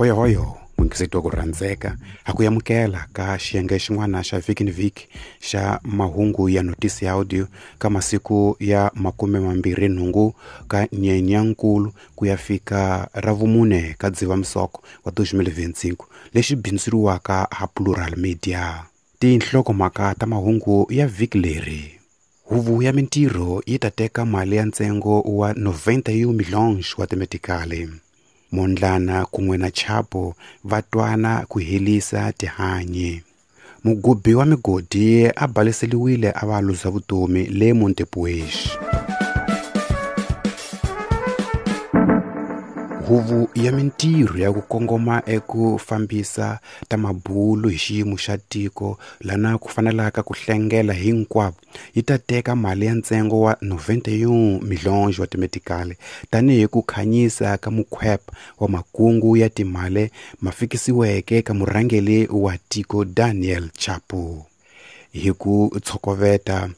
Hoyohoyo n'wingiseti wa ku rhandzeka ha ku amukela ka xiyenge xin'wana xa vhiki ni vhiki xa mahungu ya notisi ya audio ka masiku ya 28 ka Nyenyankulu ku ya fika ra vumune ka Dzivamisoko wa 2025 lexi bindzuriwaka ha Plural Media. Tinhlokomhaka ta mahungu ya vhiki leri. Huvo ya mintirho yi ta teka mali ya ntsengo wa 91 milhões wa timetikali. Mondlana kun'we na Chapo va twana ku helisa tihanyi. Mugubi wa migodi a baleseliwile a va luza vutomi le Montepuez. Huvo ya mintirho ya ku kongoma eku fambisa ta mabulu hi xiyimo xa tiko lana ku fanelaka ku hlengela hinkwavo yi ta teka mali ya ntsengo wa 91 milhões wa timetikali tanihi ku khanyisa ka mukhwepa wa makungu ya timali ma fikisiweke ka murhangeri wa tiko Daniel Chapo. Hi ku tshokoveta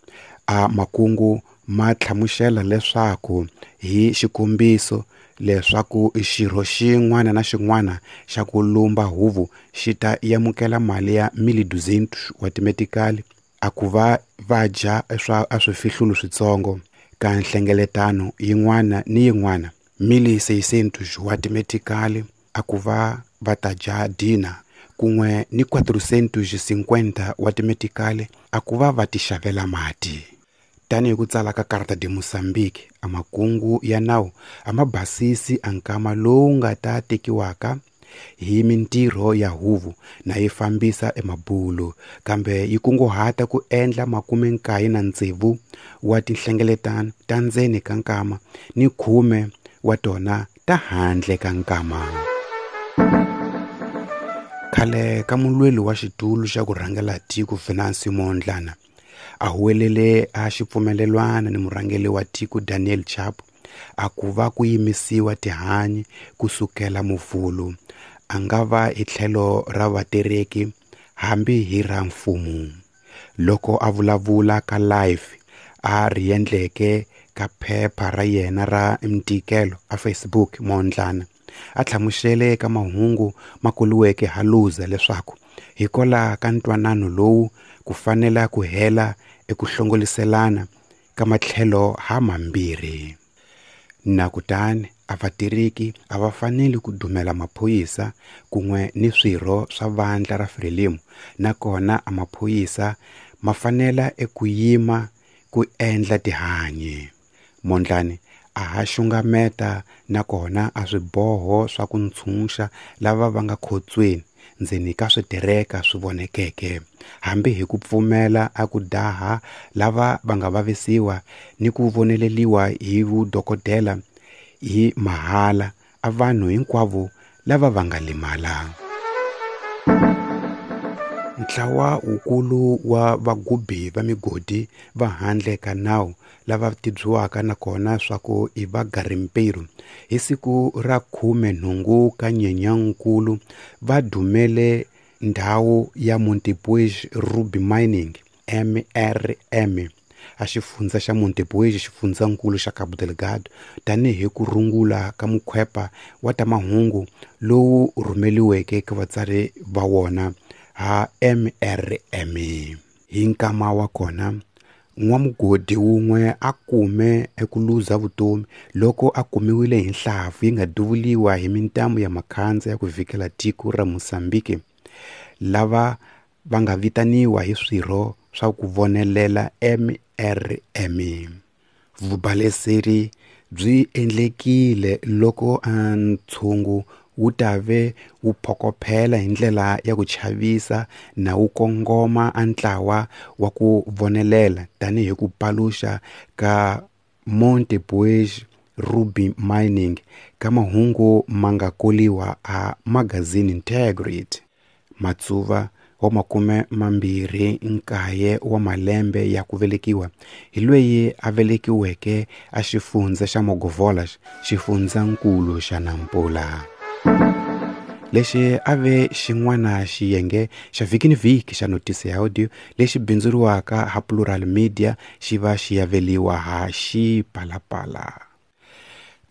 a makungu ma hlamusela leswaku hi xikombiso leswaku xirho xin'wana na xin'wana xa ku lumba huvo xi ta amukela mali ya 1.200 wa timetikali a ku va va dya swa a swifihlulo switsongo ka nhlengeletano yin'wana ni yin'wana 1.600 wa timetikali a ku va va ta dya dina kun'we ni 450 wa timetikali a ku va va tixavela mati. Tanihi ku tsala ka Carta de Moçambique, a makungu ya nawu a ma basisi a nkama lowu nga ta tekiwaka hi mintirho ya huvo na yi fambisa emabulu, kambe yi kunguhata ku endla 96 wa tinhlengeletano ta ndzeni ka nkama ni 10 wa tona ta handle ka nkama. Khale ka mulweli wa xitulu xa ku rhangela tiko Venancio Mondlane a huwelele a xipfumelelwana ni murhangeri wa tiko Daniel Chapo a ku va ku yimisiwa tihanyi kusukela muvhulu a nga va hi tlhelo ra vatereki hambi hi ra mfumo. Loko a vulavula ka live a ri endleke ka phepha ra yena ra ntikelo a Facebook, Mondlane a hlamusele ka mahungu ma koliweke ha Luza leswaku hikwalaho ka ntwanano lowu ku fanela ku hela eku hlongoliselana ka matlhelo ha mambirhi. Na kutani a vatiriki a va faneli ku dumela maphorisa kun'we ni swirho swa vandla ra Frelimo, nakona a maphorisa ma fanela eku yima ku endla tihanyi. Mondlane a ha xungameta nakona a swiboho swa ku ntshunxa lava va nga khotsweni ndzeni ka switereka swi vonekeke, hambi hi ku pfumela a ku daha lava va nga vavisiwa ni ku voneleliwa hi vudokodela hi mahala a vanhu hinkwavo lava va nga limala. Ntlawa wukulu wa vagubi va migodi va handle ka nawu lava tibyisiwaka nakona swa ku i va garimpeiro hi siku ra 18 ka Nyenyankulu va dumele ndhawu ya Montepuez Ruby Mining MRM a xifundza xa Montepuez xifundzankulu xa Cabo Delgado tanihi ku rungula ka mukhwepa wa ta mahungu lowu rhumeliweke ka vatsari va wona ha MRM. Hi nkama wa kona n'wamugodi wun'we a kume eku luza vutomi loko a kumiwile hi nhlampfi yi nga duvuliwa hi mintambu ya makhandza ya ku vhikela tiko ra Mozambique lava va nga vitaniwa hi swirho swa ku vonelela MRM. Vubaleseri byi endlekile loko a ntshungu wu ta ve wu phokophela hi ndlela ya ku chavisa na wu kongoma a ntlawa wa ku vonelela tanihi ku paluxa ka Montepuez Ruby Mining ka mahungu ma nga koliwa a magazini Integrity. Matsuva wa 29 wa malembe ya ku velekiwa hi loyi a velekiweke a xifundza xa Mogovolas, xifundzankulu xa Nampula. Lexi a ve xin'wana xiyenge xa vhiki ni vhiki xa notisi ya audio lexi bindzuriwaka ha Plural Media xi va xi yaveliwa ha Xipalapala.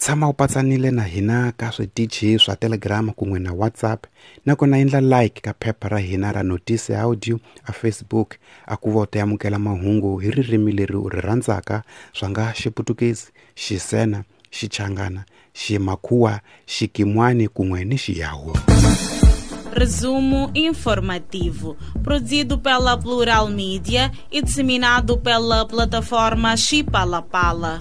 Tshama u patsanile na hina ka switichi swa Telegram kun'we na WhatsApp, nakona endla like ka phepha ra hina ra Notice Audio a Facebook a ku va u ta amukela mahungu hi ririmi leri u ri rhandzaka swa nga Xiputukezi, Xisena, Xichangana, Ximakhuwa, Xikimwani kun'we ni Xiyawu. Resumo informativo, produzido pela Plural Mídia e disseminado pela plataforma Chipalapala.